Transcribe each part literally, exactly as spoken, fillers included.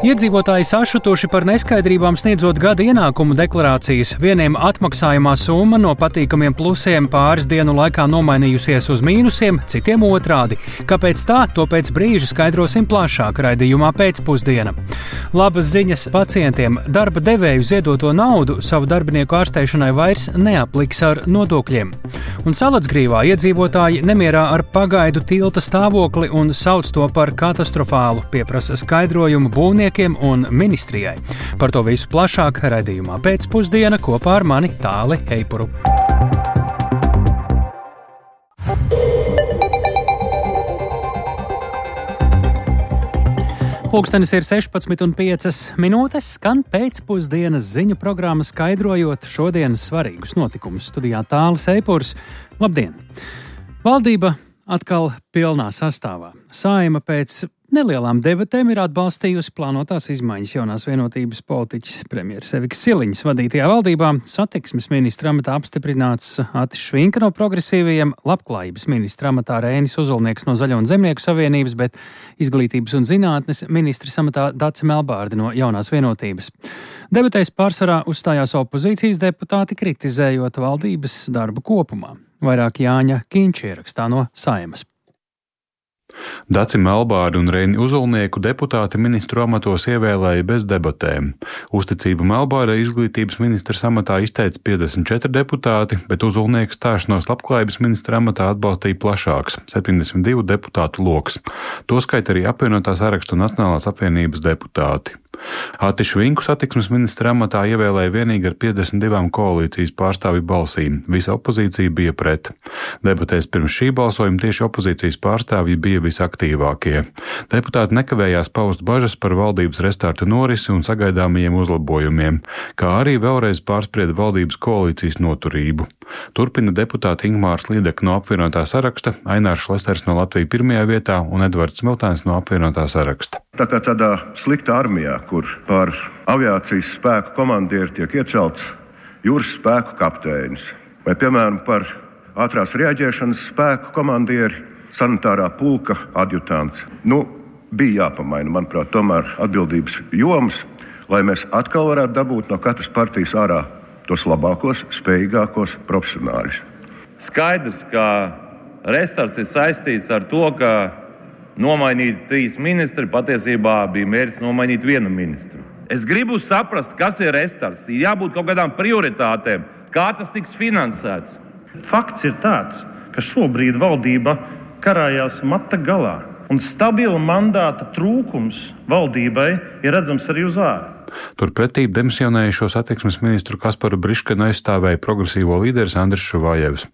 Iedzīvotāji sašutuši par neskaidrībām sniedzot gada ienākumu deklarācijas. Vieniem atmaksājumā summa no patīkamiem plusiem pāris dienu laikā nomainījusies uz mīnusiem, citiem otrādi. Kāpēc tā? To pēc brīža skaidrosim plašāk raidījumā pēcpusdiena. Labas ziņas pacientiem. Darba devēju ziedoto naudu savu darbinieku ārstēšanai vairs neapliks ar nodokļiem. Un Salacgrīvā iedzīvotāji nemierā ar pagaidu tilta stāvokli un sauc to par katastrofālu, pieprasa skaidrojumu būvniekiem un ministrijai. Par to visu plašāk raidījumā pēcpusdiena kopā ar mani Tāli Eipuru. Pulkstenis ir sešpadsmit un piecas minūtes, skan pēcpusdienas ziņu programma skaidrojot šodienas svarīgus notikumus. Studijā Tālis Eipurs. Labdien! Valdība atkal pilnā sastāvā. Saeima pēc nelielām debatēm ir atbalstījusi plānotās izmaiņas jaunās vienotības politiķis premjeras Evikas Siliņas vadītajā valdībā. Satiksmes ministra amatā apstiprināts Atis Švinka no progresīvajiem, labklājības ministra amatā Rēnis Uzulnieks no Zaļo un Zemnieku savienības, bet izglītības un zinātnes ministra amatā Dace Melbārde no jaunās vienotības. Debatēs pārsvarā uzstājās opozīcijas deputāti, kritizējot valdības darbu kopumā. Vairāk Jāņa Kīņš ierakstā no Saeimas. Daci Melbārdi un Reini Uzulnieku deputāti ministru amatos ievēlēja bez debatēm. Uzticību Melbārdei izglītības ministra amatā izteica piecdesmit četri deputāti, bet Uzulnieku stāšanos labklājības ministra amatā atbalstīja plašāks - septiņdesmit divu deputātu loks. Tostarp arī apvienotā sarakstu Nacionālās apvienības deputāti. Ati Švinku satiksmes ministra amatā ievēlēja vienīgi ar piecdesmit divām koalīcijas pārstāvju balsīm. Visa opozīcija bija pret. Debatēs pirms šī balsojuma tieši opozīcijas pārstāvji bija visaktīvākie. Deputāti nekavējās paust bažas par valdības restarta norisi un sagaidāmajiem uzlabojumiem, kā arī vēlreiz pārsprieda valdības koalīcijas noturību. Turpina deputāti Ingmārs Līdeka no apvienotā saraksta, Ainārs Šlesners no Latvijas pirmajā vietā un Edvards Smiltēns no apvienotā saraksta. Tā kā tādā sliktā armijā, kur par aviācijas spēku komandieri tiek iecelts jūras spēku kapteinis, vai, piemēram, par ātrās reaģēšanas spēku komandieri sanitārā pulka adjutants. Nu, bija jāpamaina, manuprāt, tomēr atbildības jomas, lai mēs atkal varētu dabūt no katras partijas ārā tos labākos, spējīgākos profesionāļus. Skaidrs, ka restarts ir saistīts ar to, ka nomainīt trīs ministri patiesībā bija mērķis nomainīt vienu ministru. Es gribu saprast, kas ir restarts. Ir jābūt kaut kādām prioritātēm, kā tas tiks finansēts. Fakts ir tāds, ka šobrīd valdība karājās mata galā, un stabila mandāta trūkums valdībai ir redzams arī uz ārā. Turpretī demisionējušo satiksmes ministru Kasparu Briškenu aizstāvēja progresīvo līderis Andris Šuvājevs.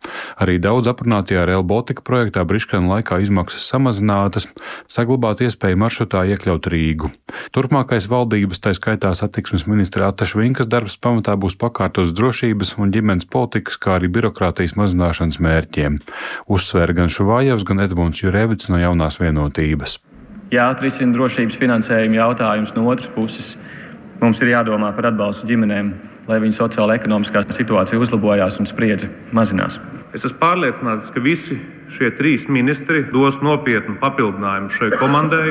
Arī daudz aprunātajā Rail Baltica projektā Briškena laikā izmaksas samazinātas, saglabāt iespēju maršrutā iekļaut Rīgu. Turpmākais valdības, tā skaitā satiksmes ministra Ata Švinkas darbs pamatā būs pakārtos drošības un ģimenes politikas, kā arī birokrātijas mazināšanas mērķiem. Uzsvēra gan Šuvājevs, gan Edmunds Jurevits no jaunās vienotības. Jā, atrisina drošības finansējuma jautājums no otras puses. Mums ir jādomā par atbalstu ģimenēm, lai viņu sociāla-ekonomiskā situācija uzlabojās un spriedze mazinās. Es esmu pārliecināts, ka visi šie trīs ministri dos nopietnu papildinājumu šai komandai.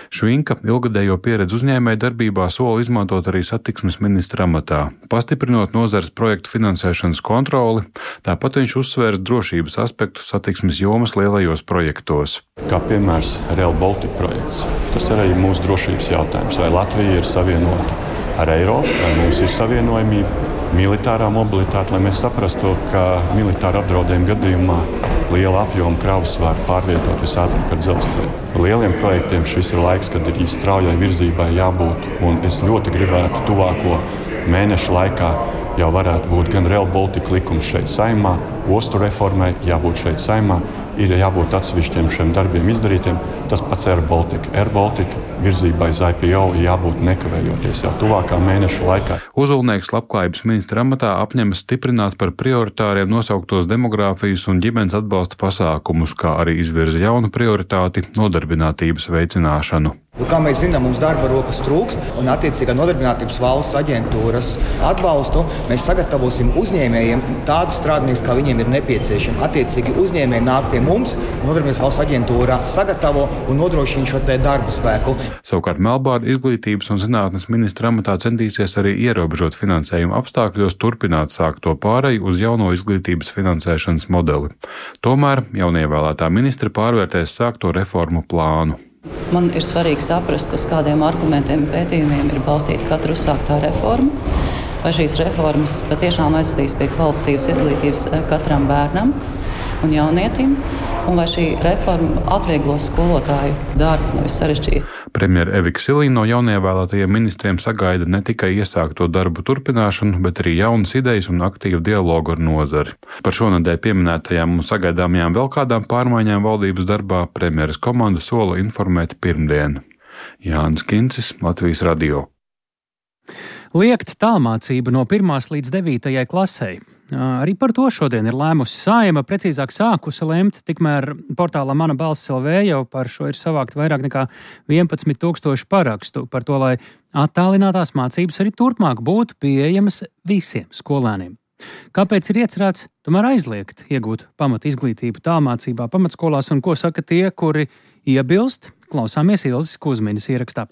Švinka ilgadējo pieredzi uzņēmēju darbībā sola izmantot arī satiksmes ministra amatā, pastiprinot nozares projektu finansēšanas kontroli, tāpat viņš uzsvērs drošības aspektu satiksmes jomas lielajos projektos. Kā piemērs Rail Baltica projekts. Tas ir arī mūsu drošības jautājums. Vai Latvija ir savienota ar Eiropu, vai mums ir savienojamība, militārā mobilitāte, lai mēs saprastu, ka militāra apdraudējuma gadījumā liela apjoma kravas var pārvietot visātrāk ar dzelzceļu. Lieliem projektiem šis ir laiks, kad ir straujai virzībai jābūt, un es ļoti gribētu tuvāko mēnešu laikā jau varētu būt gan Rail Baltica likums šeit Saeimā, ostu reformai jābūt šeit Saeimā, ir jābūt atsevišķiem šiem darbiem izdarītiem. Tas pats Air Baltica. Air Baltica virzībai uz I P O jābūt nekavējoties jau tuvākā mēneša laikā. Uzulnieks labklājības ministra amatā apņemas stiprināt par prioritāriem nosauktos demogrāfijas un ģimenes atbalsta pasākumus, kā arī izvirza jaunu prioritāti - nodarbinātības veicināšanu. Kā mēs zinām, mums darba rokas trūkst, un attiecīgā nodarbinātības valsts aģentūras atbalstu mēs sagatavosim uzņēmējiem tādus strādniekus, kā viņiem ir nepieciešami. Attiecīgi uzņēmēji nāk pie mums, nodarbinātības valsts aģentūrā sagatavo un nodrošina šo te darba spēku. Savukārt Melbārda izglītības un zinātnes ministra amatā centīsies arī ierobežot finansējumu apstākļos turpināt sākto pāreju uz jauno izglītības finansēšanas modeli. Tomēr jaunievēlētā ministra pārvērtēs sākto reformu plānu. Man ir svarīgi saprast, uz kādiem argumentiem un pētījumiem ir balstīta katra uzsāktā reforma, vai šīs reformas patiešām aizvedīs pie kvalitatīvas izglītības katram bērnam un jaunietim, un vai šī reforma atvieglos skolotāju darbu, nevis sarežģīs. Premjera Evika Silīna no jaunievēlētajiem ministriem sagaida ne tikai iesākto darbu turpināšanu, bet arī jaunas idejas un aktīvu dialogu ar nozari. Par šonedēļ pieminētajām un sagaidāmajām vēl kādām pārmaiņām valdības darbā premjeras komanda sola informēt pirmdien. Jānis Kincis, Latvijas radio. Liekt tālmācību no pirmās līdz devītajai klasei. Arī par to šodien ir lēmusi Saeima, precīzāk sākusi lemt, tikmēr portālā Mana balss L V jau par šo ir savākt vairāk nekā vienpadsmit tūkstoši parakstu par to, lai attālinātās mācības arī turpmāk būtu pieejamas visiem skolēniem. Kāpēc ir iecerēts tomēr aizliegt iegūt pamat izglītību tālmācībā pamatskolās un ko saka tie, kuri iebilst? Klausāmies Ilzes Kuzmiņas ierakstā.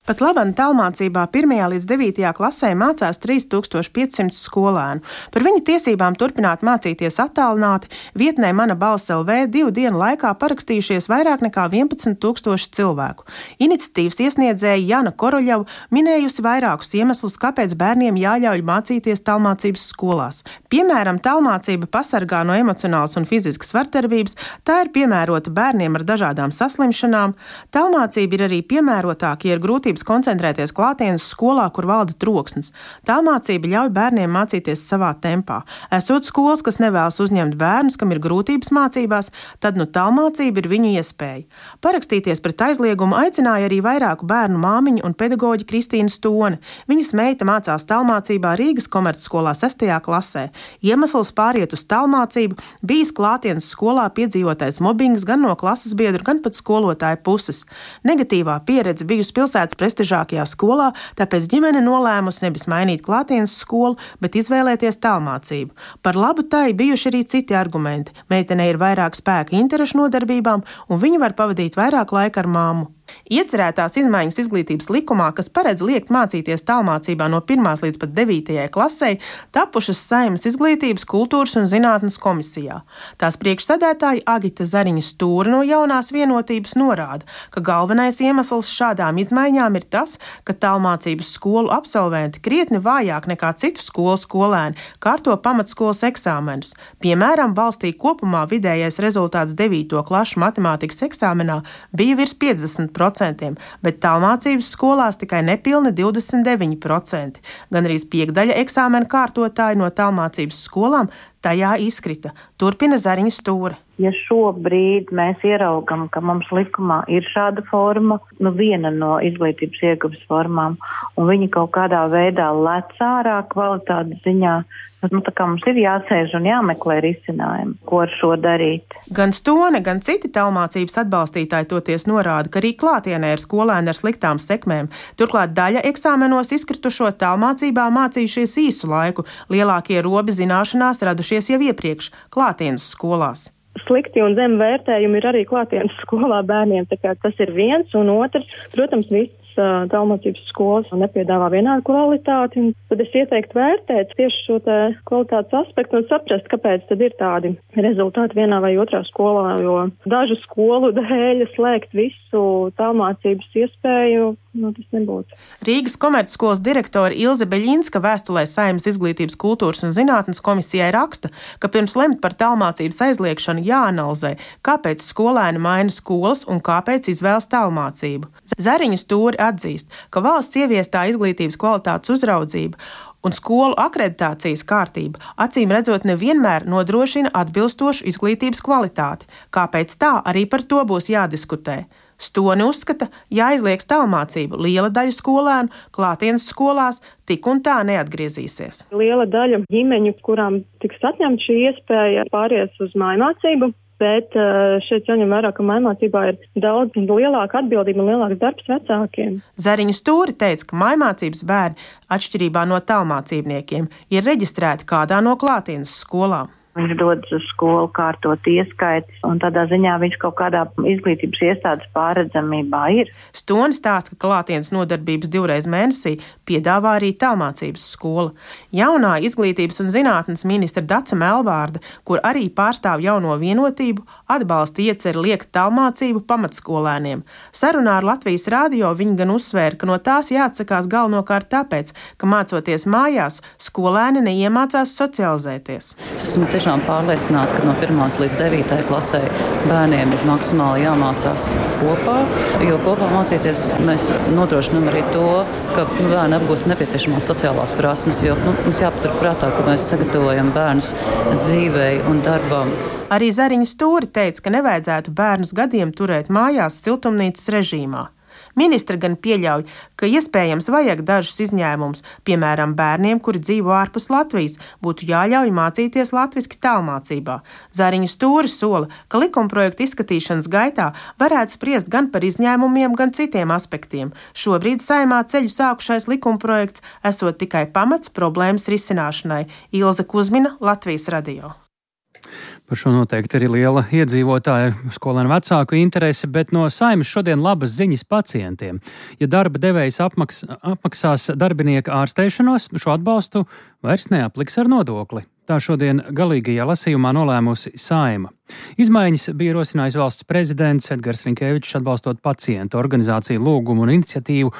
Pat labam tālmācībā pirmajā līdz devītajā klasē mācās trīs tūkstoši piecsimt skolēnu. Par viņu tiesībām turpināt mācīties attālināti vietnē Mana balss L V divu dienu laikā parakstījušies vairāk nekā vienpadsmit tūkstoši cilvēku. Iniciatīvas iesniedzēja Jana Koroļava minējusi vairākus iemeslus, kāpēc bērniem jāļauj mācīties tālmācības skolās. Piemēram, tālmācība pasargā no emocionālas un fiziskas vardarbības, tā ir piemērota bērniem ar dažādām saslimšanām. Tālmācība ir arī piemērotāka, ja ir grūtības koncentrēties klātienes skolā, kur valda troksnis. Tālmācība ļauj bērniem mācīties savā tempā. Esot skolas, kas nevēlas uzņemt bērnus, kam ir grūtības mācībās, tad nu tālmācība ir viņu iespēja. Parakstīties pret aizliegumu aicināja arī vairāku bērnu māmiņu un pedagoģi Kristīna Stone. Viņas meita mācās tālmācībā Rīgas komercskolā sestajā klasē. Iemesls pāriet uz tālmācību bijis klātienes skolā piedzīvotais mobbings gan no klases biedru, gan pat skolotāja puses. Negatīvā pieredze bijusi pilsētas prestižākajā skolā, tāpēc ģimene nolēmusi nevis mainīt klātienes skolu, bet izvēlēties tālmācību. Par labu tai bijuši arī citi argumenti. Meitenei ir vairāk spēka interešu nodarbībām, un viņa var pavadīt vairāk laika ar māmu. Iecerētās izmaiņas izglītības likumā, kas paredz liekt mācīties tālmācībā no pirmās līdz pat devītajai klasei, tapušas Saeimas izglītības, kultūras un zinātnes komisijā. Tās priekšsēdētāja Agita Zariņa Stūra no Jaunās vienotības norāda, ka galvenais iemesls šādām izmaiņām ir tas, ka tālmācības skolu absolventi krietni vājāk nekā citu skolu skolēni kārto pamatskolas eksāmenus. Piemēram, valstī kopumā vidējais rezultāts devīto klašu matemātikas eksāmenā bija virs piecdesmit procenti, bet tālmācības skolās tikai nepilni divdesmit deviņi procenti. Gan arī piekdaļa eksāmena kārtotāji no tālmācības skolām tajā izkrita. Turpina Zariņa Stūra. Ja šobrīd mēs ieraugam, ka mums likumā ir šāda forma, nu viena no izglītības ieguves formām, un viņi kaut kādā veidā lec ārā kvalitātes ziņā, nu tā kā mums ir jāsēž un jāmeklē risinājumi, ko ar šo darīt. Gan Stone, gan citi tālmācības atbalstītāji toties norāda, ka arī klātienē ir skolēni ar sliktām sekmēm. Turklāt daļa eksāmenos izkritušo tālmācībā mācījušies īsu laiku, lielākie robi zināšanās radušies jau iepriekš klātienes skolās. Slikti un zem vērtējumi ir arī klātienes skolā bērniem, tā kā tas ir viens, un otrs, protams, viss tālmācības skolas nepiedāvā vienādu kvalitāti, un tad es ieteiktu vērtēt tieši šo te kvalitātes aspektu un saprast, kāpēc tad ir tādi rezultāti vienā vai otrā skolā, jo dažu skolu dēļ slēgt visu tālmācības iespēju, nu tas nebūtu. Rīgas komercskolas direktore Ilze Beļinska vēstulē Saeimas izglītības, kultūras un zinātnes komisijai raksta, ka pirms lemt par tālmācības aizliekšanu jāanalizē, kāpēc skolēni maina skolas un kāpēc izvēlas tālmācību. Zariņa Stūri atzīst, ka valsts ieviestā izglītības kvalitātes uzraudzība un skolu akreditācijas kārtība acīm redzot nevienmēr nodrošina atbilstošu izglītības kvalitāti. Kāpēc tā, arī par to būs jādiskutē. Stone uzskata, jāizlieks tālmācību. Liela daļa skolēnu klātienes skolās tik un tā neatgriezīsies. Liela daļa ģimeņu, kurām tiks atņemta šī iespēja, pāries uz mājmācību. bet šeit jāņem vērā, ka mājmācībā ir daudz lielāka atbildība un lielāks darbs vecākiem. Zariņa Stūri teica, ka mājmācības bērni, atšķirībā no tālmācībniekiem, ir reģistrēti kādā no klātienes skolām. Viņš dodas uz skolu kārtot ieskaites, un tādā ziņā viņš kaut kādā izglītības iestādes pārredzamībā ir. Stoni stāsta, ka klātienes nodarbības divreiz mēnesī piedāvā arī tālmācības skola. Jaunā izglītības un zinātnes ministra Dace Melbārde, kur arī pārstāv jauno vienotību, atbalsta ieceri liekt tālmācību pamatskolēniem. Sarunā ar Latvijas radio viņa gan uzsvēra, ka no tās jāatsakās galvenokārt tāpēc, ka mācoties mājās, skolēni neiemācās socializēties. Esmu tiešām pārliecināta, ka no pirmās līdz devītajai klasē bērniem ir maksimāli jāmācās kopā, jo kopā mācīties mēs nodrošinām arī to, ka nu, bērni apgūst nepieciešamās sociālās prasmes, jo nu, mums jāpatur prātā, ka mēs sagatavojam bērnus dzīvei un darbam. Arī Zariņa Stūri teica, ka nevajadzētu bērnus gadiem turēt mājās siltumnīcas režīmā. Ministra gan pieļauj, ka iespējams vajag dažus izņēmumus, piemēram, bērniem, kuri dzīvo ārpus Latvijas, būtu jāļauj mācīties latviski tālmācībā. Zariņa Stūri sola, ka likumprojekta izskatīšanas gaitā varētu spriest gan par izņēmumiem, gan citiem aspektiem. Šobrīd Saeimā ceļu sākušais likumprojekts esot tikai pamats problēmas risināšanai. Ilze Kuzmina, Latvijas radio. Par šo noteikti arī liela iedzīvotāju skolēnu vecāku interese, bet no Saeimas šodien labas ziņas pacientiem. Ja darba devējs apmaks, apmaksās darbinieka ārstēšanos, šo atbalstu vairs neapliks ar nodokli. Tā šodien galīgajā lasījumā nolēmusi Saeima. Izmaiņas bija ierosinājis valsts prezidents Edgars Rinkēvičs, atbalstot pacientu organizāciju lūgumu un iniciatīvu.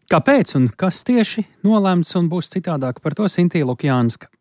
Kāpēc un kas tieši nolēmts un būs citādāk, par to Sintīja Lukjānska.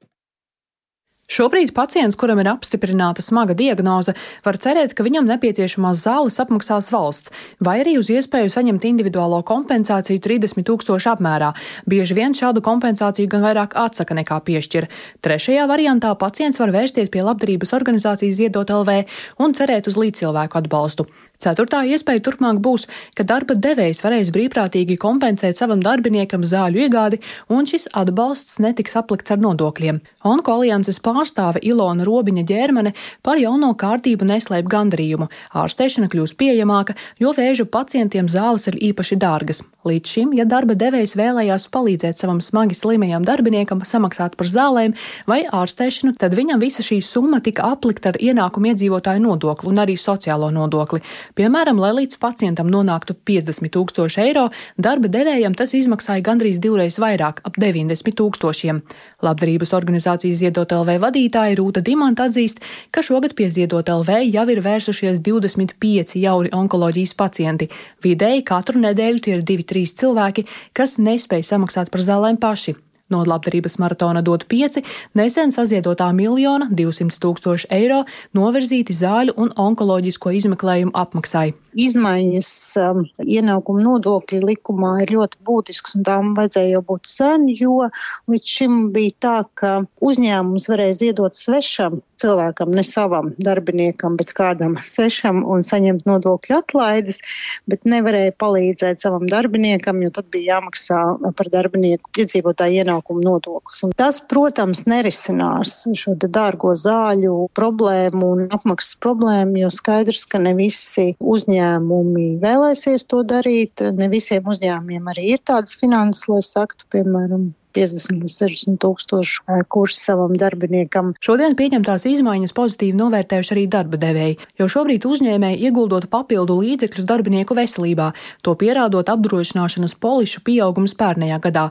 Šobrīd pacients, kuram ir apstiprināta smaga diagnoze, var cerēt, ka viņam nepieciešamās zāles apmaksās valsts, vai arī uz iespēju saņemt individuālo kompensāciju trīsdesmit tūkstoši apmērā. Bieži vien šādu kompensāciju gan vairāk atsaka nekā piešķir. Trešajā variantā pacients var vērsties pie labdarības organizācijas Ziedot L V un cerēt uz līdzcilvēku atbalstu. Ceturtā iespēja turpmāk būs, ka darba devējs varēs brīvprātīgi kompensēt savam darbiniekam zāļu iegādi, un šis atbalsts netiks aplikts ar nodokļiem. Onko alianses pārstāve Ilona Robiņa Ģērmane par jauno kārtību neslēp gandarījumu. Ārstēšana kļūs pieejamāka, jo vēža pacientiem zāles ir īpaši dārgas. Līdz šim, ja darba devējs vēlējās palīdzēt savam smagi slimajam darbiniekam samaksāt par zālēm vai ārstēšanu, tad viņam visa šī summa tika aplikta ar ienākumu iedzīvotāju nodokli un arī sociālo nodokli. Piemēram, lai līdz pacientam nonāktu piecdesmit tūkstoši eiro, darba devējam tas izmaksāja gandrīz divreiz vairāk, ap deviņdesmit tūkstošiem. Labdarības organizācijas Ziedot L V vadītāja Rūta Dimanta atzīst, ka šogad pie Ziedot L V jau ir vērsušies divdesmit pieci jauni onkoloģijas pacienti. Vidēji katru nedēļu tie ir divi trīs cilvēki, kas nespēj samaksāt par zālēm paši. No labdarības maratona Dod pieci nesen saziedotā miljona divsimt tūkstoši eiro novirzīti zāļu un onkoloģisko izmeklējumu apmaksai. Izmaiņas um, ienākuma nodokļa likumā ir ļoti būtisks, un tām vajadzēja jau būt sen, jo līdz šim bija tā, ka uzņēmums varēja ziedot svešam cilvēkam, ne savam darbiniekam, bet kādam svešam un saņemt nodokļu atlaides, bet nevarēja palīdzēt savam darbiniekam, jo tad bija jāmaksā par darbinieku iedzīvotāju ienākumu nodoklis. Un tas, protams, nerisinās šo dārgo zāļu problēmu un apmaksas problēmu, jo skaidrs, ka ne visi uzņēmumi vēlēsies to darīt, ne visiem uzņēmumiem arī ir tādas finanses, lai saktu, piemēram, piecdesmit līdz sešdesmit tūkstošu kursu savam darbiniekam. Šodien pieņemtās izmaiņas pozitīvi novērtējuši arī darba devēji, jo šobrīd uzņēmēji ieguldot papildu līdzekļus darbinieku veselībā, to pierādot apdrošināšanas polišu pieaugums pērnējā gadā.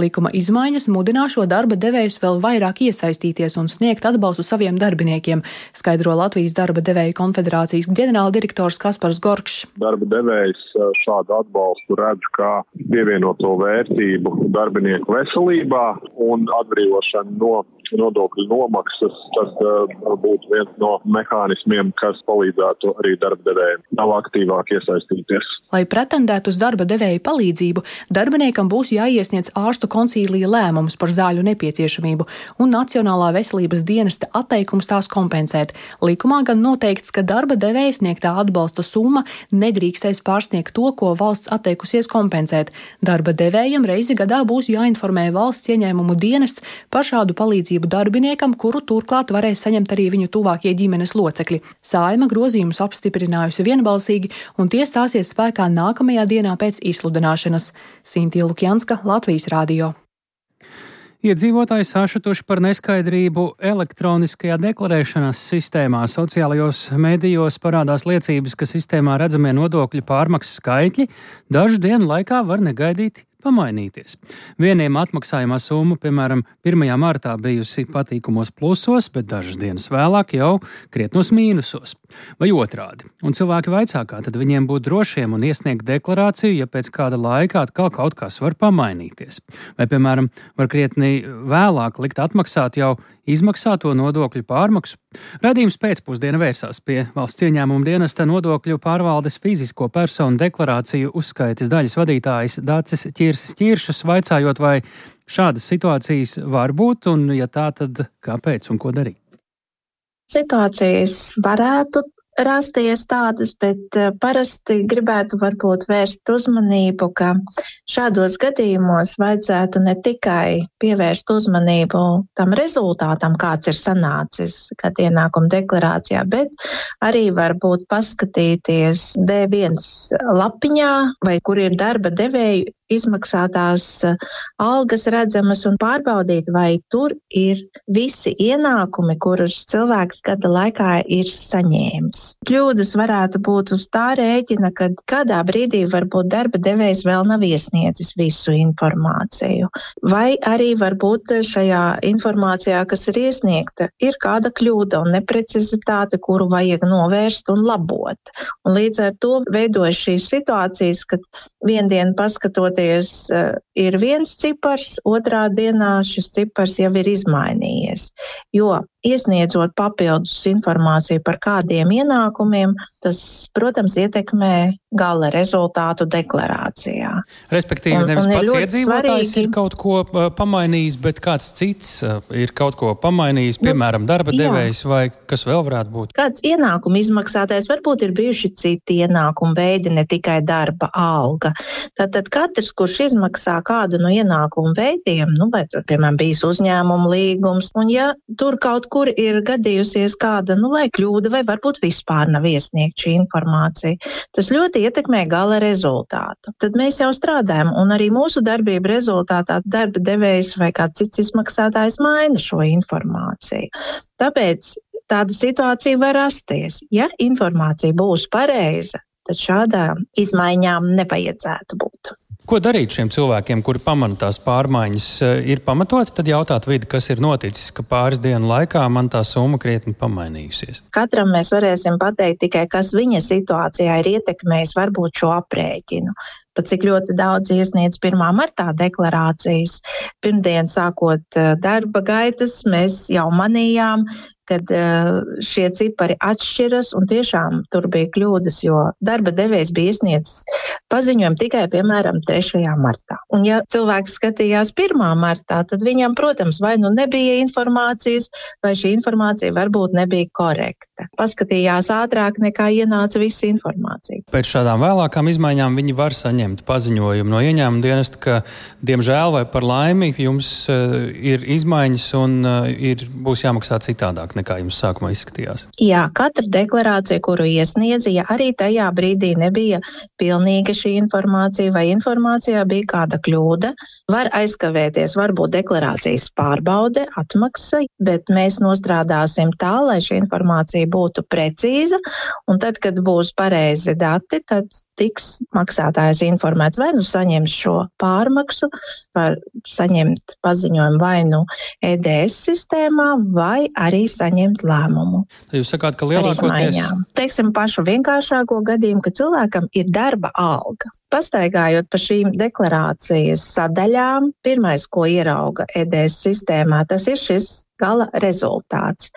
Likuma izmaiņas mudinā šo darba devējus vēl vairāk iesaistīties un sniegt atbalstu saviem darbiniekiem, skaidro Latvijas darba devēju konfederācijas ģenerāldirektors Kaspars Gorkšs. Darba devējs šādu atbalstu redz kā pievienoto vērtību darbinieku veselībā un atbrīvošana no nodokļu nomaksas, tas uh, būtu viens no mehānismiem, kas palīdzētu arī darba devējiem vēl aktīvāk iesaistīties. Lai pretendētu uz darba devēju palīdzību, darbiniekam būs jāiesniedz ārstu konsīlija lēmums par zāļu nepieciešamību un Nacionālā veselības dienesta atteikums tās kompensēt. Likumā gan noteikts, ka darba devēja sniegtā atbalsta summa nedrīkstēs pārsniegt to, ko valsts atteikusies kompensēt. Darba devējam reizi gadā būs jāinformē valsts ieņēmumu dienests par šādu palīdzību pašvaldību darbiniekam, kuru turklāt varēs saņemt arī viņu tuvākie ģimenes locekļi. Saeima grozījumus apstiprinājusi vienbalsīgi, un tie stāsies spēkā nākamajā dienā pēc izsludināšanas. Sintija Lukjanska, Latvijas Rādio. Iedzīvotāji sašutuši par neskaidrību elektroniskajā deklarēšanas sistēmā. Sociālajos medijos parādās liecības, ka sistēmā redzamie nodokļu pārmaksas skaitļi dažu dienu laikā var negaidīti pamainīties. Vieniem atmaksājumā summa, piemēram, pirmajā martā bijusi patīkumos plusos, bet dažas dienas vēlāk jau krietnos mīnusos. Vai otrādi. Un cilvēki vaicā, kā tad viņiem būt drošiem un iesniegt deklarāciju, ja pēc kāda laika atkal kaut kas var pamainīties. Vai, piemēram, var krietni vēlāk likt atmaksāt jau izmaksāto nodokļu pārmaksu. Radījums pēcpusdiena vērsās pie Valsts ieņēmuma dienesta nodokļu pārvaldes fizisko personu deklarāciju uzskaites daļas vadītājas Dācis Ķirsis Ķiršas, vaicājot, vai šādas situācijas var būt, un ja tā, tad kāpēc un ko darīt? Situācijas varētu rasties tādas, bet parasti gribētu varbūt vērst uzmanību, ka šādos gadījumos vajadzētu ne tikai pievērst uzmanību tam rezultātam, kāds ir sanācis, kad ienākuma deklarācijā, bet arī varbūt paskatīties D viens lapiņā, vai kur ir darba devēju izmaksātās algas redzamas un pārbaudīt, vai tur ir visi ienākumi, kurus cilvēks gada laikā ir saņēmis. Kļūdas varētu būt uz tā rēķina, kad kādā brīdī varbūt darba devējs vēl nav iesniedzis visu informāciju. Vai arī varbūt šajā informācijā, kas ir iesniegta, ir kāda kļūda un neprecizitāte, kuru vajag novērst un labot. Un līdz ar to veidojas šīs situācijas, kad viendien paskatoties ir viens cipars, otrā dienā šis cipars jau ir izmainījies. Jo iesniedzot papildus informāciju par kādiem ienākumiem, tas, protams, ietekmē gala rezultātu deklarācijā. Respektīvi, un, nevis un pats ir iedzīvotājs svarīgi. ir kaut ko uh, pamainījis, bet kāds cits uh, ir kaut ko pamainījis, piemēram, darba jā. devējs vai kas vēl varētu būt? Kāds ienākuma izmaksātājs, varbūt ir bijuši citi ienākuma veidi, ne tikai darba alga. Tātad katrs, kurš izmaksā kādu no ienākuma veidiem, nu, vai tur, piemēram, bijis uzņēmuma līgums, un ja tur kaut kur ir gadījusies kāda, nu, vai kļūda, vai varbūt vispār nav iesniegt šī informācija, tas ļoti ietekmē gala rezultātu. Tad mēs jau strādājam, un arī mūsu darbība rezultātā darba devējs vai kāds cits izmaksātājs maina šo informāciju. Tāpēc tāda situācija var rasties. Ja informācija būs pareiza, tad šādām izmaiņām nevajadzētu būt. Ko darīt šiem cilvēkiem, kuri pamana tās pārmaiņas? Ir pamatoti tad jautāt vidi, kas ir noticis, ka pāris dienu laikā man tā summa krietni pamainījusies? Katram mēs varēsim pateikt tikai, kas viņa situācijā ir ietekmējis varbūt šo aprēķinu. Pat cik ļoti daudz iesniedz pirmā martā deklarācijas. Pirmdien sākot darba gaitas, mēs jau manījām, kad šie cipari atšķiras, un tiešām tur bija kļūdas, jo darba devējs bija iesniedzis paziņojumu tikai, piemēram, trešajā martā. Un ja cilvēks skatījās pirmā martā, tad viņam, protams, vai nu nebija informācijas, vai šī informācija varbūt nebija korekta. Paskatījās ātrāk nekā ienāca visa informācija. Pēc šādām vēlākām izmaiņām viņi var saņemt paziņojumu no ieņēmuma dienesta, ka, diemžēl vai par laimi, jums uh, ir izmaiņas un uh, ir, būs jāmaksā citādāk nekā jums sākumā izskatījās. Jā, katra deklarācija, kuru iesniedza, ja arī tajā brīdī nebija pilnīga šī informācija vai informācijā bija kāda kļūda, var aizkavēties varbūt deklarācijas pārbaude, atmaksa, bet mēs nostrādāsim tā, lai šī informācija būtu precīza, un tad, kad būs pareizi dati, tad tiks maksātājs informēts, vai nu saņems šo pārmaksu, var saņemt paziņojumu vai nu E D S sistēmā, vai arī saņemt lēmumu. Jūs sakāt, ka lielākoties... Teiksim pašu vienkāršāko gadījumu, ka cilvēkam ir darba alga. Pastaigājot pa šīm deklarācijas sadaļām, pirmais, ko ierauga E D S sistēmā, tas ir šis gala rezultāts.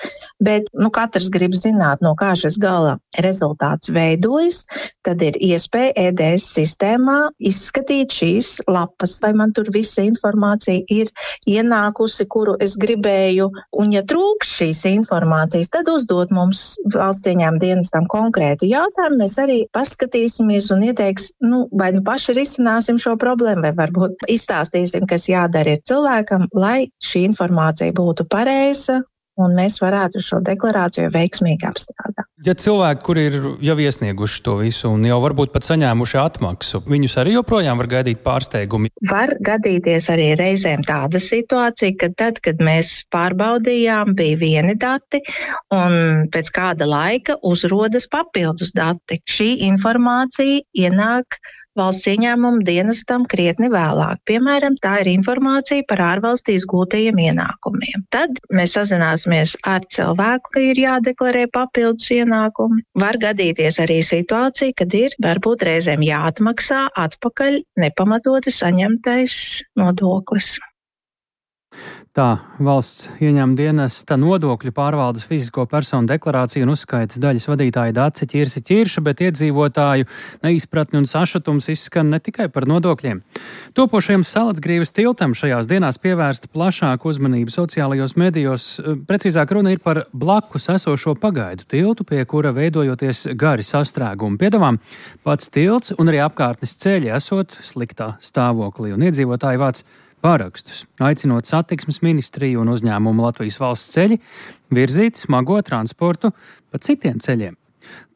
Bet, nu, katrs grib zināt, no kā šis gala rezultāts veidojas, tad ir iespēja E D S sistēmā izskatīt šīs lapas, vai man tur visa informācija ir ienākusi, kuru es gribēju, un ja trūks šīs informācijas, tad uzdot mums valsts ieņēmuma dienestam konkrētu jautājumu, mēs arī paskatīsimies un ieteiks, nu, vai nu paši risināsim šo problēmu, vai varbūt izstāstīsim, kas jādara ir cilvēkam, lai šī informācija būtu pareiza pareiza, un mēs varētu šo deklarāciju veiksmīgi apstrādāt. Ja cilvēki, kuri ir jau iesnieguši to visu un jau varbūt pat saņēmuši atmaksu, viņus arī joprojām var gaidīt pārsteigumi? Var gadīties arī reizēm tāda situācija, ka tad, kad mēs pārbaudījām, bija vieni dati un pēc kāda laika uzrodas papildus dati. Šī informācija ienāk valsts ieņēmuma dienestam krietni vēlāk. Piemēram, tā ir informācija par ārvalstīs gūtajiem ienākumiem. Tad mēs sazināsimies ar cilvēku, ka ir jādeklarē papildus ienākumi. Var gadīties arī situācija, kad ir varbūt reizēm jāatmaksā atpakaļ nepamatoti saņemtais nodoklis. Tā valsts ieņēmuma dienesta nodokļu pārvaldes fizisko personu deklarāciju un uzskaitas daļas vadītāja Dace Ķirsi Ķirša, bet iedzīvotāju neizpratni un sašutums izskan ne tikai par nodokļiem. Topošajam Salacgrīvas tiltam šajās dienās pievērsta plašāku uzmanību sociālajos medijos. Precīzāk runa ir par blakus esošo pagaidu tiltu, pie kura veidojoties gari sastrēgumi. Piedāvām pats tilts un arī apkārtnes ceļi esot sliktā stāvoklī, un iedzīvotāji vāc pārakstus, aicinot satiksmes ministriju un uzņēmumu Latvijas valsts ceļi virzīt smago transportu pa citiem ceļiem.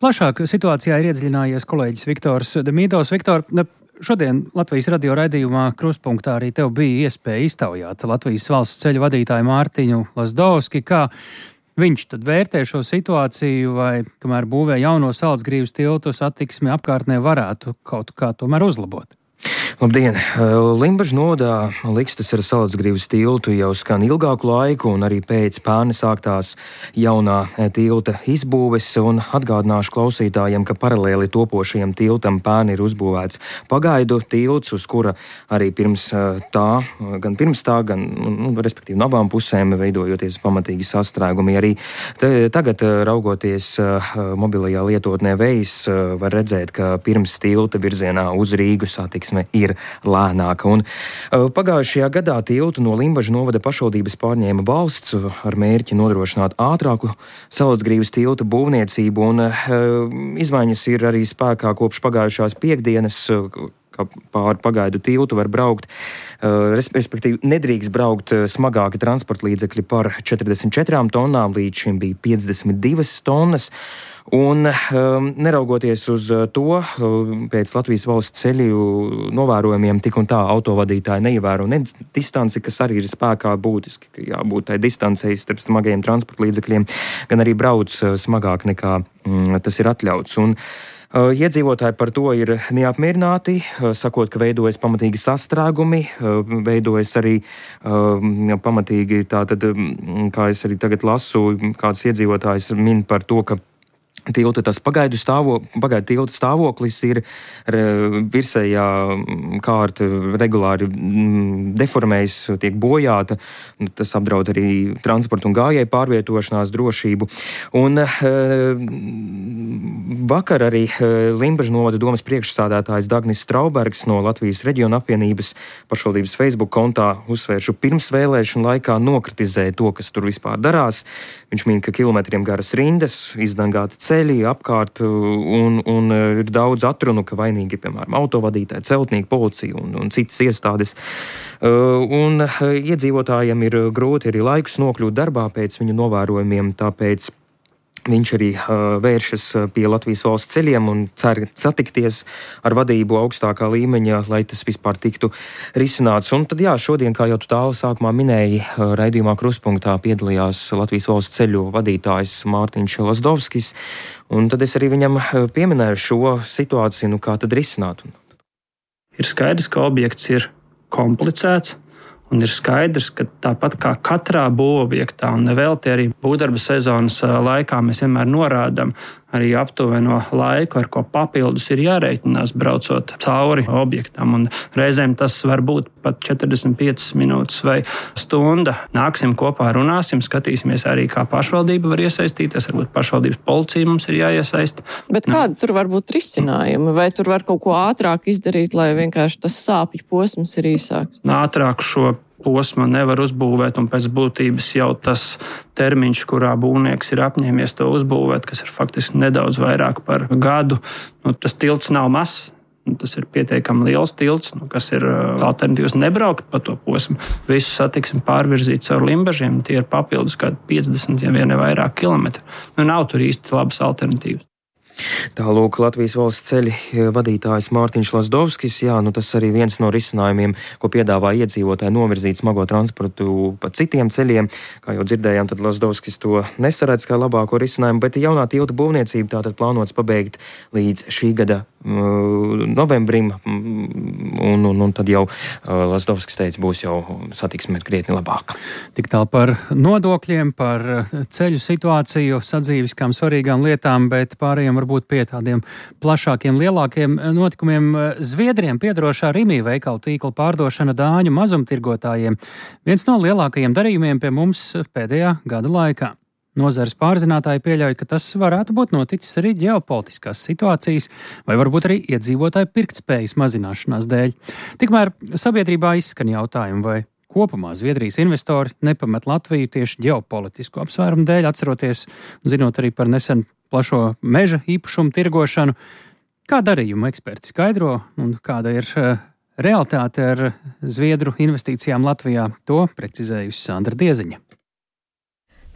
Plašāk situācijā ir iedziļinājies kolēģis Viktors Demīdovs. Viktor, šodien Latvijas radio raidījumā Krustpunktā arī tev bija iespēja iztaujāt Latvijas valsts ceļu vadītāju Mārtiņu Lazdovski, kā viņš tad vērtē šo situāciju, vai kamēr būvē jauno Salacgrīvas tiltu, satiksmi apkārtnē varētu kaut kā tomēr uzlabot. Labdien! Limbažu novadā likstas ar Salacgrīvas tiltu jau skan ilgāku laiku, un arī pēc pērn sāktās jaunā tilta izbūves, un atgādināšu klausītājiem, ka paralēli topošajam tiltam pērn ir uzbūvēts pagaidu tilts, uz kura arī pirms tā, gan pirms tā, gan, nu, respektīvi no abām pusēm veidojoties pamatīgi sastrēgumi. Arī te, tagad, raugoties mobilajā lietotnē Vejs, var redzēt, ka pirms tilta virzienā uz Rīgu satiksme ir lēnāka. Un pagājušajā gadā tiltu no Limbažu novada pašvaldības pārņēma valsts ar mērķi nodrošināt ātrāku Salacgrīvas tilta būvniecību, un izmaiņas ir arī spēkā kopš pagājušās piekdienas, ka pāri pagaidu tiltu var braukt, respektīvi nedrīkst braukt smagāki transporta līdzekļi par četrdesmit četrām tonnām, līdz šim bija piecdesmit divas tonnas. Un neraugoties uz to, pēc Latvijas valsts ceļu novērojumiem tik un tā autovadītāji neievēro ne distanci, kas arī ir spēkā būtiski, ka jābūt tai distancei starp smagajiem transporta līdzekļiem, gan arī brauc smagāk nekā tas ir atļauts. Un iedzīvotāji par to ir neapmierināti, sakot, ka veidojas pamatīgi sastrēgumi, veidojas arī pamatīgi tātad, kā es arī tagad lasu, kāds iedzīvotājs min par to, ka tilta tas pagaidu, stāvo, pagaidu tilta stāvoklis ir virsējā kārta regulāri deformējas, tiek bojāta. Tas apdraud arī transportu un gājēju pārvietošanās drošību. Un vakar arī Limbažu novada domas priekšsādātājs Dagnis Straubergs no Latvijas reģiona apvienības pašvaldības Facebook kontā uzsvēršu pirms vēlēšanu laikā nokritizēja to, kas tur vispār darās. Viņš min, ka kilometriem garas rindas, izdangāti ceļi apkārt, un, un ir daudz atrunu, ka vainīgi ir, piemēram, autovadītāji, celtnieki, policija un, un citas iestādes. Un iedzīvotājiem ir grūti arī laikus nokļūt darbā pēc viņu novērojumiem, tāpēc viņš arī uh, vēršas pie Latvijas valsts ceļiem un cer satikties ar vadību augstākā līmeņa, lai tas vispār tiktu risināts. Un tad jā, šodien, kā jau tu tālu sākumā minēji, uh, raidījumā Krustpunktā piedalījās Latvijas valsts ceļu vadītājs Mārtiņš Lazdovskis, un tad es arī viņam pieminēju šo situāciju, nu kā tad risināt. Ir skaidrs, ka objekts ir komplicēts. Un ir skaidrs, ka tāpat kā katrā būvobjektā, un nevelti arī būvdarba sezonas laikā mēs vienmēr norādām arī aptuveno laiku, ar ko papildus ir jārēķinās braucot cauri objektam. Un reizēm tas var būt pat četrdesmit piecas minūtes vai stunda. Nāksim kopā, runāsim, skatīsimies arī, kā pašvaldība var iesaistīties. Varbūt pašvaldības policija mums ir jāiesaista. Bet kādi tur var būt risinājumi? Vai tur var kaut ko ātrāk izdarīt, lai vienkārši tas sāpju posms ir īsāks? Ātrāk šo posmu nevar uzbūvēt, un pēc būtības jau tas termiņš, kurā būvnieks ir apņēmies to uzbūvēt, kas ir faktiski nedaudz vairāk par gadu, nu, tas tilts nav mazs. Tas ir pietiekami liels tilts, nu, kas ir alternatīvs nebraukt pa to posmu. Visu satiksmi pārvirzīt caur Limbažiem, tie ir papildus kādi piecdesmit, ja vien vairāk kilometri. Nu, nav tur īsti labas alternatīvas. Tālūk Latvijas valsts ceļi vadītājs Mārtiņš Lazdovskis. Jā, nu tas arī viens no risinājumiem, ko piedāvā iedzīvotāji novirzīt smago transportu pa citiem ceļiem. Kā jau dzirdējām, tad Lazdovskis to nesaredz kā labāko risinājumu, bet jaunā tilta būvniecība tātad plānots pabeigt līdz šī gada uh, novembrim, un, un, un tad jau uh, Lazdovskis teica, būs jau satiksme krietni labāka. Tik tālu par nodokļiem, par ceļu situāciju, sadzīviskām svarīgām lietām, bet pārējiem var būt pie tādiem plašākiem, lielākiem notikumiem. Zviedriem piedarošā Rimi veikalu tīkla pārdošana dāņu mazumtirgotājiem. Viens no lielākajiem darījumiem pie mums pēdējā gada laikā. Nozares pārzinātāji pieļauj, ka tas varētu būt noticis arī ģeopolitiskās situācijas vai varbūt arī iedzīvotāju pirktspējas mazināšanās dēļ. Tikmēr sabiedrībā izskan jautājumi, vai kopumā Zviedrijas investori nepamet Latviju tieši ģeopolitisku apsvērumu dēļ, atceroties, zinot arī par nesen plašo meža īpašumu tirgošanu. Kā darījumu eksperti skaidro un kāda ir uh, realitāte ar Zviedru investīcijām Latvijā, to precizējusi Sandra Dieziņa.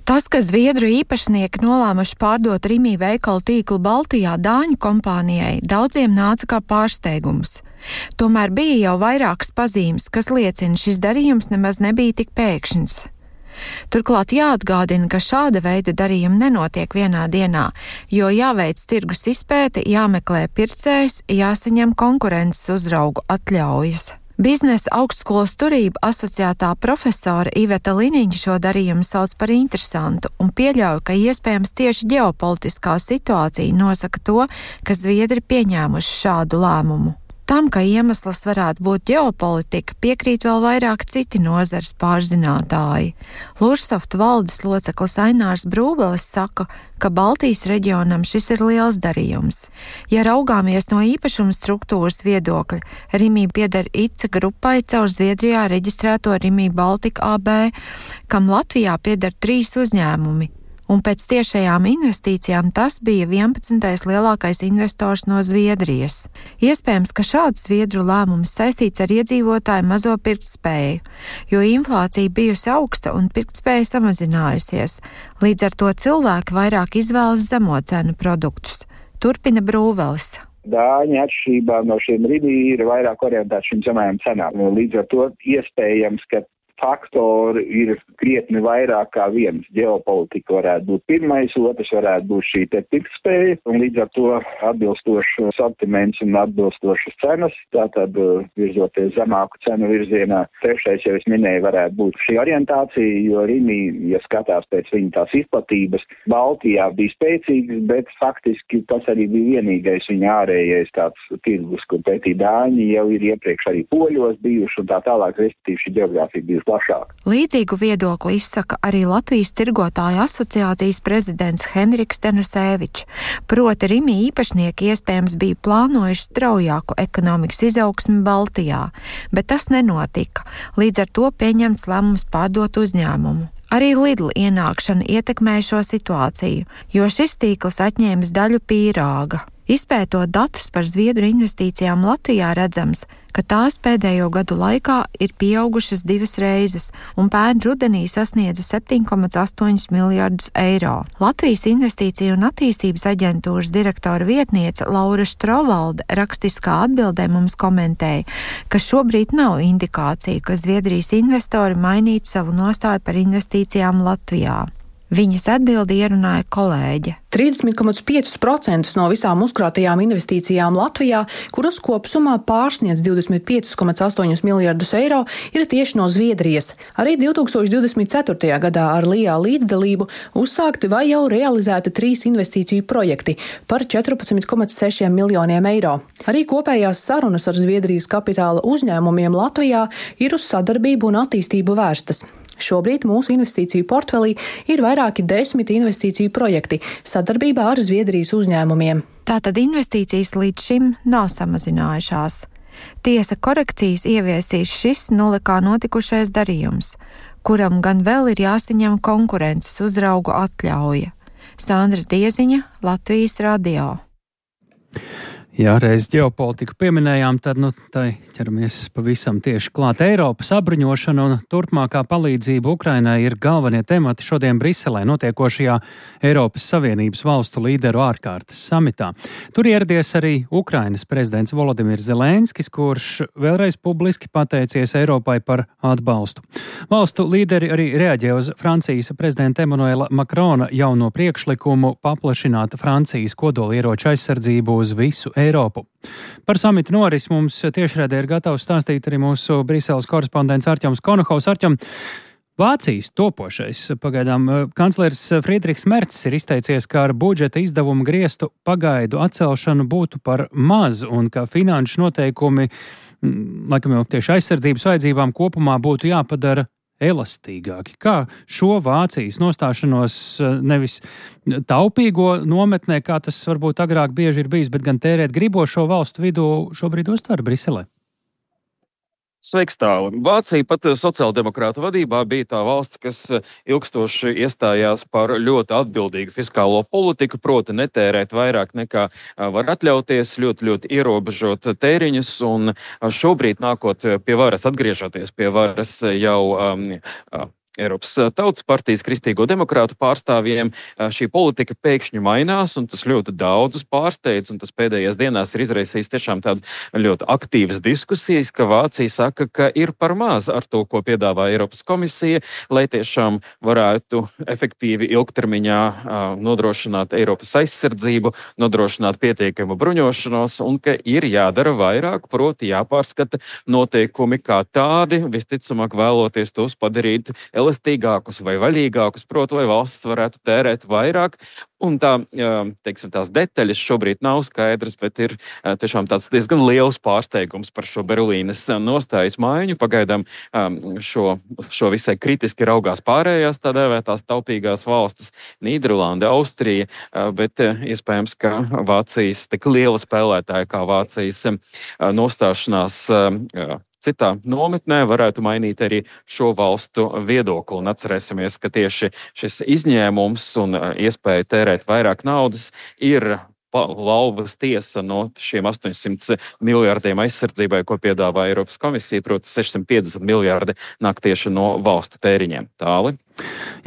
Tas, ka Zviedru īpašnieki nolēmuši pārdot Rimi veikalu tīklu Baltijā dāņu kompānijai, daudziem nāca kā pārsteigums. Tomēr bija jau vairākas pazīmes, kas liecina, šis darījums nemaz nebija tik pēkšņs. Turklāt jāatgādina, ka šāda veida darījumi nenotiek vienā dienā, jo jāveic tirgus izpēte, jāmeklē pircējs, jāsaņem konkurences uzraugu atļaujas. Biznesa augstskolas turība asociētā profesora Iveta Liniņa šo darījumu sauc par interesantu un pieļauj, ka iespējams tieši ģeopolitiskā situācija nosaka to, ka Zviedri pieņēmuši šādu lēmumu. Tam, ka iemesls varētu būt ģeopolitika, piekrīt vēl vairāk citi nozares pārzinātāji. Lursoftu valdes loceklis Ainārs Brūvelis saka, ka Baltijas reģionam šis ir liels darījums. Ja raugāmies no īpašuma struktūras viedokļa, Rimi pieder ICA grupai caur Zviedrijā reģistrēto Rimi Baltika A B, kam Latvijā pieder trīs uzņēmumi. Un pēc tiešajām investīcijām tas bija vienpadsmitais lielākais investors no Zviedrijas. Iespējams, ka šāds Zviedru lēmums saistīts ar iedzīvotāju mazo pirktspēju, jo inflācija bijusi augsta un pirktspēja samazinājusies. Līdz ar to cilvēki vairāk izvēlas zemo cenu produktus. Turpina Brūvelis. Dāņi atšķirībā no šiem Rimi ir vairāk orientēti šīm zemajām cenām. Līdz ar to iespējams, ka faktori ir krietni vairāk kā viens. Ģeopolitika varētu būt pirmais, otrs varētu būt šī te pirktspēja, un līdz ar to atbilstošs sortiments un atbilstošas cenas, tātad virzoties zemāku cenu virzienā. Trešais, jau es minēju, varētu būt šī orientācija, jo Rimi, ja skatās pēc viņa tās izplatības, Baltijā bija spēcīgs, bet faktiski tas arī bija vienīgais viņa ārējais tāds tirgus, kur pētī dāņi jau ir iepriekš arī poļos bijuši un tā tālāk, respektīvi šī geogrāfija bijusi plašāk. Līdzīgu viedokli izsaka arī Latvijas tirgotāju asociācijas prezidents Henriks Tenusēvičs. Proti Rimi īpašnieki iespējams bija plānojuši straujāku ekonomikas izaugsmi Baltijā, bet tas nenotika. Līdz ar to pieņemts lēmums pārdot uzņēmumu. Arī Lidl ienākšana ietekmēja šo situāciju, jo šis tīkls atņēmis daļu pīrāga. Izpētot datus par Zviedru investīcijām Latvijā redzams, ka tās pēdējo gadu laikā ir pieaugušas divas reizes un pērn rudenī sasniedza septiņi komats astoņi miljardus eiro. Latvijas investīciju un attīstības aģentūras direktora vietniece Laura Štrovalde rakstiskā atbildē mums komentēja, ka šobrīd nav indikācija, ka Zviedrijas investori mainītu savu nostāju par investīcijām Latvijā. Viņas atbildi ierunāja kolēģe. trīsdesmit komats pieci procenti no visām uzkrātajām investīcijām Latvijā, kuras kopsumā pārsniedz divdesmit pieci komats astoņi miljardus eiro, ir tieši no Zviedrijas. Arī divtūkstoš divdesmit ceturtajā gadā ar Lijā līdzdalību uzsākti vai jau realizēti trīs investīciju projekti par četrpadsmit komats seši miljoniem eiro. Arī kopējās sarunas ar Zviedrijas kapitāla uzņēmumiem Latvijā ir uz sadarbību un attīstību vērstas. Šobrīd mūsu investīciju portfelī ir vairāki desmit investīciju projekti sadarbībā ar Zviedrijas uzņēmumiem. Tātad investīcijas līdz šim nav samazinājušās. Tiesa, korekcijas ieviesīs šis nulikā notikušais darījums, kuram gan vēl ir jāsaņem konkurences uzraugu atļauja. Sandra Dieziņa, Latvijas radio. Jā, reiz ģeopolitiku pieminējām, tad nu, tai ķeramies pavisam tieši klāt. Eiropas sabruņošana un turpmākā palīdzība Ukrainai ir galvenie temati šodien Briselē notiekošajā Eiropas Savienības valstu līderu ārkārtas samitā. Tur ieradies arī Ukrainas prezidents Volodimirs Zelenskis, kurš vēlreiz publiski pateicies Eiropai par atbalstu. Valstu līderi arī reaģē uz Francijas prezidenta Emmanuela Macrona jauno priekšlikumu paplašināt Francijas kodolieroču aizsardzību uz visu Eiropu. Par samitu noris mums tiešraidē ir gatavs stāstīt arī mūsu Briseles korespondents Arķems Konohaus. Arķem, Vācijas topošais pagaidām kanclers Friedrichs Mercs ir izteicies, ka ar budžeta izdevumu griestu pagaidu atcelšanu būtu par maz un ka finanšu noteikumi, laikam jau tieši aizsardzības vajadzībām kopumā būtu jāpadara elastīgāki. Kā šo Vācijas nostāšanos nevis taupīgo nometnē, kā tas varbūt agrāk bieži ir bijis, bet gan tērēt gribošo valstu vidū šobrīd uztver Briselē? Sveiks tālu. Vācija pat sociāldemokrātu vadībā bija tā valsts, kas ilgstoši iestājās par ļoti atbildīgu fiskālo politiku, proti netērēt vairāk nekā var atļauties, ļoti, ļoti ierobežot tēriņus, un šobrīd nākot pie varas, atgriežoties pie varas jau um, Eiropas Tautas partijas kristīgo demokrātu pārstāvjiem, šī politika pēkšņi mainās, un tas ļoti daudzus pārsteidz, un tas pēdējās dienās ir izraisījis tiešām tādu ļoti aktīvas diskusijas, ka Vācija saka, ka ir par maz ar to, ko piedāvā Eiropas komisija, lai tiešām varētu efektīvi ilgtermiņā nodrošināt Eiropas aizsardzību, nodrošināt pietiekamu bruņošanos, un ka ir jādara vairāk, proti jāpārskata noteikumi kā tādi, visticamāk vēloties tos padarīt elastīgākus vai vaļīgākus, proti, lai valsts varētu tērēt vairāk. Un tā, teiksim, tās detaļas šobrīd nav skaidrs, bet ir tiešām tāds diezgan liels pārsteigums par šo Berlīnes nostājas maiņu. Pagaidām šo, šo visai kritiski raugās pārējās tā dēvētās taupīgās valstis, Nīderlande, Austrija, bet iespējams, ka Vācijas tik liela spēlētāja kā Vācijas nostāšanās citā nometnē varētu mainīt arī šo valstu viedokli. Un atcerēsimies, ka tieši šis izņēmums un iespēja tērēt vairāk naudas ir lauvas tiesa no šiem astoņsimt miljārdiem aizsardzībai, ko piedāvā Eiropas komisija, proti sešsimt piecdesmit miljārdi nāk tieši no valstu tēriņiem. Tāli.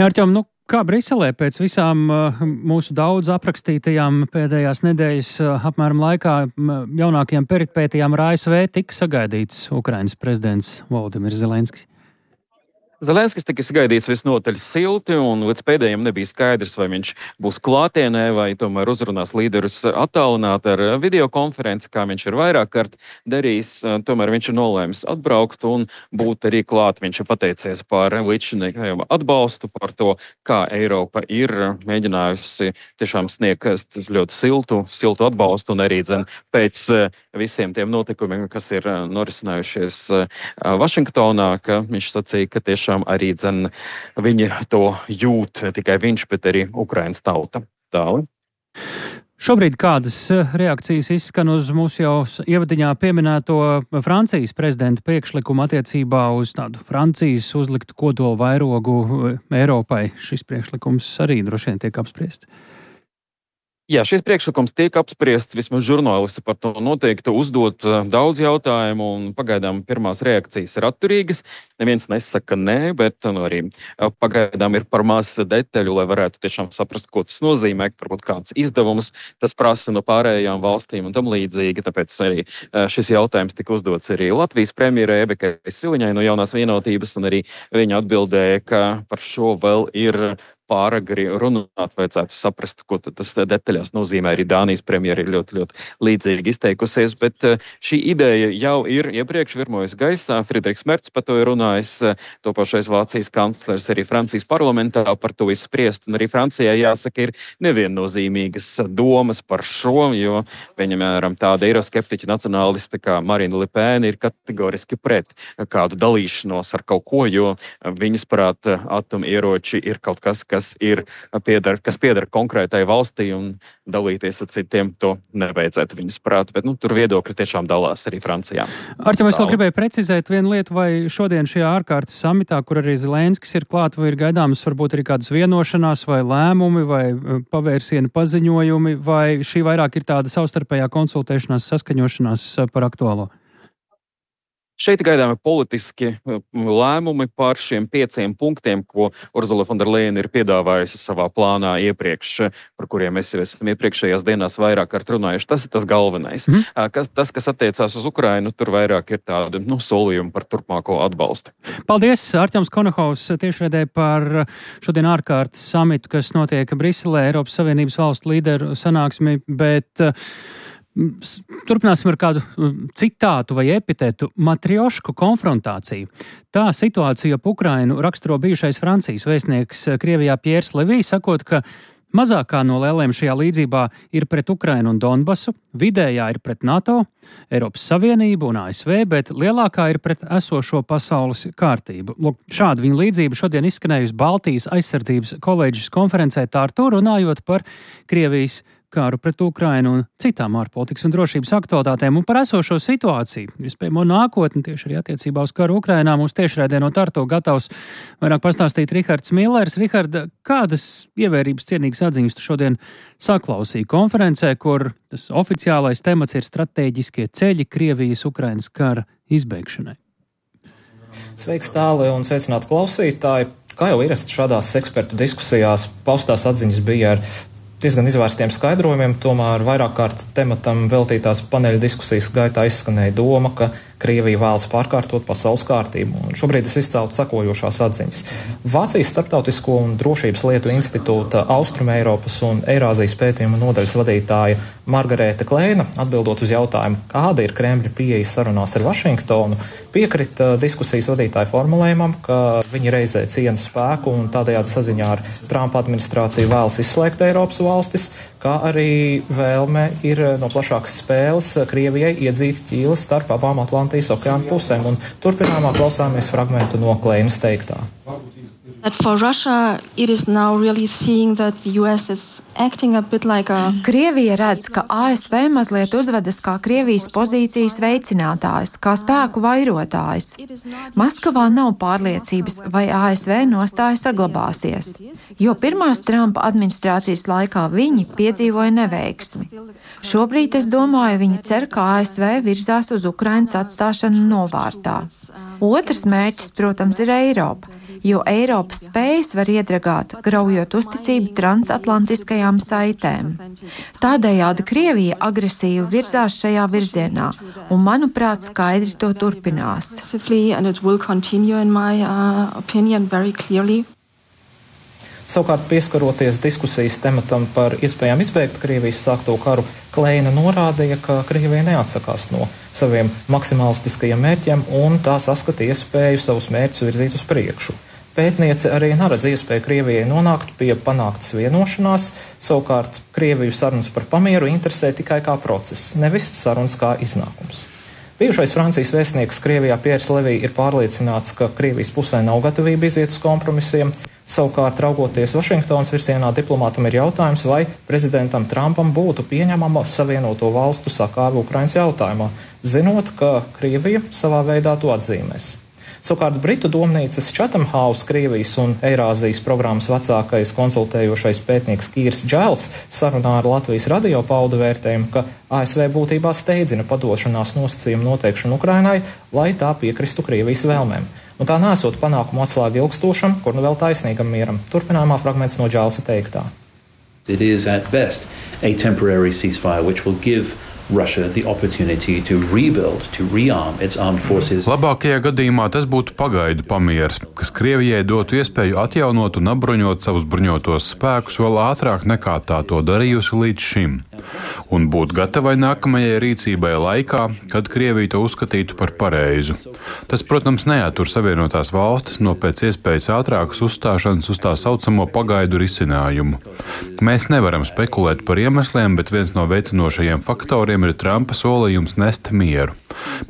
Jā, Arķem, nu, kā Briselē pēc visām mūsu daudz aprakstītajām pēdējās nedēļas apmēram laikā jaunākajām peripētijām ar A S V tika sagaidīts Ukrainas prezidents Volodimirs Zelenskis? Zelenskis tika sagaidīts visnotaļ silti, un līdz pēdējiem nebija skaidrs, vai viņš būs klātienē, vai tomēr uzrunās līderus attālināti ar videokonferenci, kā viņš ir vairāk kārt darījis. Tomēr viņš ir nolēmis atbraukt un būt arī klāt. Viņš ir pateicies par līdzšinīgajiem atbalstu, par to, kā Eiropa ir mēģinājusi tiešām sniegt ļoti siltu, siltu atbalstu, un arī dzen pēc visiem tiem notikumiem, kas ir norisinājušies Vašingtonā, ka viņš sacīja, ka tieši arī dzen viņi to jūt, ne tikai viņš, bet arī Ukrainas tauta. Tāli. Šobrīd kādas reakcijas izskan uz mūsu jau ievadiņā pieminēto Francijas prezidenta priekšlikumu attiecībā uz tādu Francijas uzliktu kodolu vairogu Eiropai? Šis priekšlikums arī droši vien tiek apspriests. Jā, šis priekšlikums tiek apspriests, vismaz žurnālisti par to noteikti uzdot daudz jautājumu, un pagaidām pirmās reakcijas ir atturīgas. Neviens nesaka nē, bet nu, arī pagaidām ir par maz detaļu, lai varētu tiešām saprast, ko tas nozīmē, varbūt kāds izdevums tas prasa no pārējām valstīm un tam līdzīgi. Tāpēc arī šis jautājums tika uzdots arī Latvijas premjerai Ebekai Siliņai no Jaunās vienotības, un arī viņa atbildēja, ka par šo vēl ir pāragri runāt, vajadzētu saprast, ko tas detaļās nozīmē. Arī Dānijas premjera ir ļoti, ļoti līdzīgi izteikusies, bet šī ideja jau ir iepriekš virmojas gaisā. Friedrichs Mercs par to ir runājis, topošais Vācijas kanclers arī Francijas parlamentā par to izspriest, un arī Francijai jāsaka ir neviennozīmīgas domas par šo, jo, piemēram, tāda eiroskeptiķa nacionāliste kā Marine Le Pen ir kategoriski pret kādu dalīšanos ar kaut ko, jo viņas prāt atomieroči ir kaut kas, kas ir pieder, kas pieder konkrētai valstī, un dalīties ar citiem to nevajadzētu viņas prāt, bet nu, tur viedokļi tiešām dalās arī Francijā. Arķem, es vēl gribēju precizēt vienu lietu, vai šodien šajā ārkārtas samitā, kur arī Zelenskis ir klāt, vai ir gaidāmas varbūt arī kādas vienošanās vai lēmumi vai pavērsiena paziņojumi, vai šī vairāk ir tāda savstarpējā konsultēšanās, saskaņošanās par aktuālo? Šeit gaidāmi politiski lēmumi par šiem pieciem punktiem, ko Urzula von der Leyen ir piedāvājusi savā plānā iepriekš, par kuriem mēs jau esam iepriekšējās dienās vairāk kārt runājuši. Tas ir tas galvenais. Mm. Kas, tas, kas attiecās uz Ukrainu, tur vairāk ir tādi nu, solījumi par turpmāko atbalstu. Paldies, Arķems Konohaus, tiešraidē par šodien ārkārtas samitu, kas notiek Briselē, Eiropas Savienības valstu līderu sanāksmi, bet turpināsim ar kādu citātu vai epitetu - matriošku konfrontāciju. Tā situācija ap Ukrainu raksturo bijušais Francijas vēstnieks Krievijā Pjērs Levī, sakot, ka mazākā no lēlēm šajā līdzībā ir pret Ukrainu un Donbasu, vidējā ir pret NATO, Eiropas Savienību un A S V, bet lielākā ir pret esošo pasaules kārtību. Lūk, šāda viņa līdzība šodien izskanējusi Baltijas aizsardzības koledžas konferencē Tartu, runājot par Krievijas kāru pret Ukrainu un citām ārpolitikas un drošības aktualitātēm un par esošo situāciju. Iespējamo nākotni tieši arī attiecībā uz karu Ukrainā mūs tiešraidē no Tartu gatavs vairāk pastāstīt Rihards Millers. Rihard, kādas ievērības cienīgas atziņas tu šodien saklausīji konferencē, kur tas oficiālais temats ir stratēģiskie ceļi Krievijas Ukrainas kara izbeigšanai? Sveiks, tāli un sveicināti klausītāji. Kā jau ierasti šādās ekspertu diskusijās, paustās atziņas bija ar diezgan izvērstiem skaidrojumiem, tomēr vairāk kārt tematam veltītās paneļa diskusijas gaitā izskanēja doma, ka Krievija vēlas pārkārtot pasaules kārtību. Un šobrīd es izceltu sekojošās atziņas. Vācijas Starptautisko un drošības lietu institūta Austrumeiropas un Eirāzijas pētījuma nodaļas vadītāja Margarēta Kleina, atbildot uz jautājumu, kāda ir Kremļa pieeja sarunās ar Vašingtonu, piekrita diskusijas vadītāja formulējumam, ka viņi reizē ciena spēku un tādējādi saziņā ar Trumpa administrāciju vēlas izslēgt Eiropas valstis, kā arī vēlme ir no plašākas spēles Krievijai iedzīt ķīles starp abām Atlantijas okeāna pusēm. Un turpinājumā klausāmies fragmentu no Kleinas teiktā. That for Russia, it is now really seeing that the U S is acting a bit like a... Krievija redz, ka A S V mazliet uzvedas kā Krievijas pozīcijas veicinātājs, kā spēku vairotājs. Maskavā nav pārliecības, vai A S V nostāja saglabāsies, jo pirmās Trumpa administrācijas laikā viņi piedzīvoja neveiksmi. Šobrīd, es domāju, viņi cer, ka A S V virzās uz Ukrainas atstāšanu novārtā. Otrs mērķis, protams, ir Eiropa, jo Eiropas spējas var iedragāt, graujot uzticību transatlantiskajām saitēm. Tādējādi Krievija agresīvi virzās šajā virzienā, un, manuprāt, skaidri to turpinās. Savukārt, pieskaroties diskusijas tematam par iespējām izbeigt Krievijas sākto karu, Kleina norādīja, ka Krievija neatsakās no saviem maksimalistiskajiem mērķiem un tā saskata iespēju savus mērķus virzīt uz priekšu. Pētniece arī neredz iespēju Krievijai nonākt pie panāktas vienošanās, savukārt Krieviju sarunas par pamieru interesē tikai kā process, nevis sarunas kā iznākums. Bijušais Francijas vēstnieks Krievijā Pjērs Levī ir pārliecināts, ka Krievijas pusē nav gatavība iziet uz kompromisiem. Savukārt, raugoties Vašingtonas virzienā, diplomātam ir jautājums, vai prezidentam Trumpam būtu pieņemama Savienoto valstu sakāve Ukrainas jautājumā, zinot, ka Krievija savā veidā to atzīmēs. Savukārt Britu domnīcas Chatham House Krievijas un Eirāzijas programmas vecākais konsultējošais pētnieks Kīrs Džēls sarunā ar Latvijas radio pauda vērtējumu, ka A S V būtībā steidzina padošanās nosacījumu noteikšanu Ukrainai, lai tā piekristu Krievijas vēlmēm. Un tā nesot panākumu atslēgu ilgstošam, kur nu vēl taisnīgam mieram. Turpinājumā fragments no Džēlsa teiktā. It is at best a temporary ceasefire which will give Russia the opportunity to rebuild, to rearm its armed forces. Labākajā gadījumā tas būtu pagaidu pamieris, kas Krievijai dotu iespēju atjaunot un apbruņot savus bruņotos spēkus vēl ātrāk nekā tā to darījusi līdz šim, un būt gatavai nākamajai rīcībai laikā, kad Krievija to uzskatītu par pareizu. Tas, protams, neatur Savienotās valstis no pēc iespējas ātrākas uzstāšanas uz tā saucamo pagaidu risinājumu. Mēs nevaram spekulēt par iemesliem, bet viens no veicinošajiem faktoriem kuriem ir Trumpa solījums nest mieru.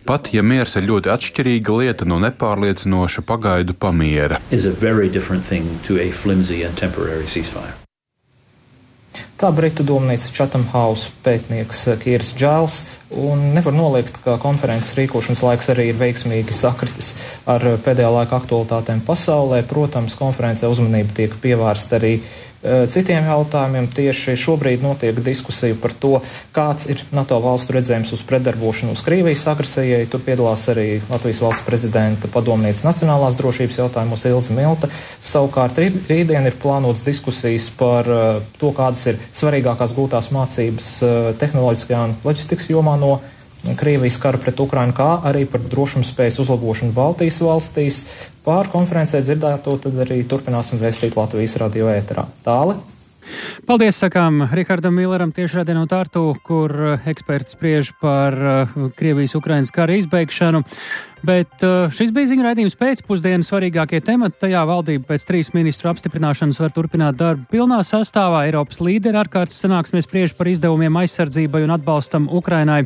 Pat ja miers ir ļoti atšķirīga lieta no nepārliecinoša pagaidu pamiera. Tā Britu domnīcas Chatham House pētnieks Kīrs Džēls, un nevar noliegt, ka konferences rīkošanas laiks arī ir veiksmīgi sakritis ar pēdējā laika aktualitātēm pasaulē. Protams, konferencē uzmanība tiek pievērsta arī uh, citiem jautājumiem. Tieši šobrīd notiek diskusija par to, kāds ir NATO valstu redzējums uz pretdarbošanos Krievijas agresijai. Tur piedalās arī Latvijas valsts prezidenta padomniece nacionālās drošības jautājumos Ilze Milta. Savukārt rītdien ir plānotas diskusijas par uh, to, kādas ir svarīgākās gūtās mācības uh, tehnoloģiskajā un loģistikas jomā no Krievijas kara pret Ukrainu, kā arī par drošumspējas uzlabošanu Baltijas valstīs. Pār konferencē dzirdēto tad arī turpināsim vēstīt Latvijas radio ēterā. Tāli. Paldies, sakām Rihardam Milleram tiešraidē no Tartu, kur eksperts spriež par Krievijas-Ukrainas kara izbeigšanu. Bet šis bija ziņu raidījums pēcpusdienas svarīgākie temati. Tajā valdība pēc trīs ministru apstiprināšanas var turpināt darbu pilnā sastāvā. Eiropas līderi ārkārtas sanāksmē spriež par izdevumiem aizsardzībai un atbalstam Ukrainai.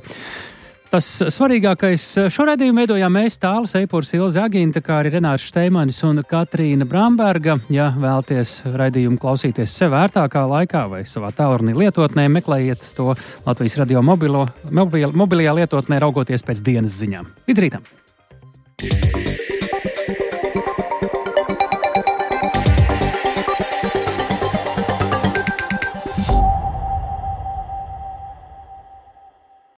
Tas svarīgākais šo raidījumu veidojām mēs, Tālis Eipurs, Ilze Aginta, kā arī Renārs Šteimanis un Katrīna Bramberga. Ja vēlaties raidījumu klausīties sev ērtākā laikā vai savā tālrunī lietotnē, meklējiet to Latvijas radio mobilo, mobil, mobilajā lietotnē, raugoties pēc dienas ziņām. Līdz rītam!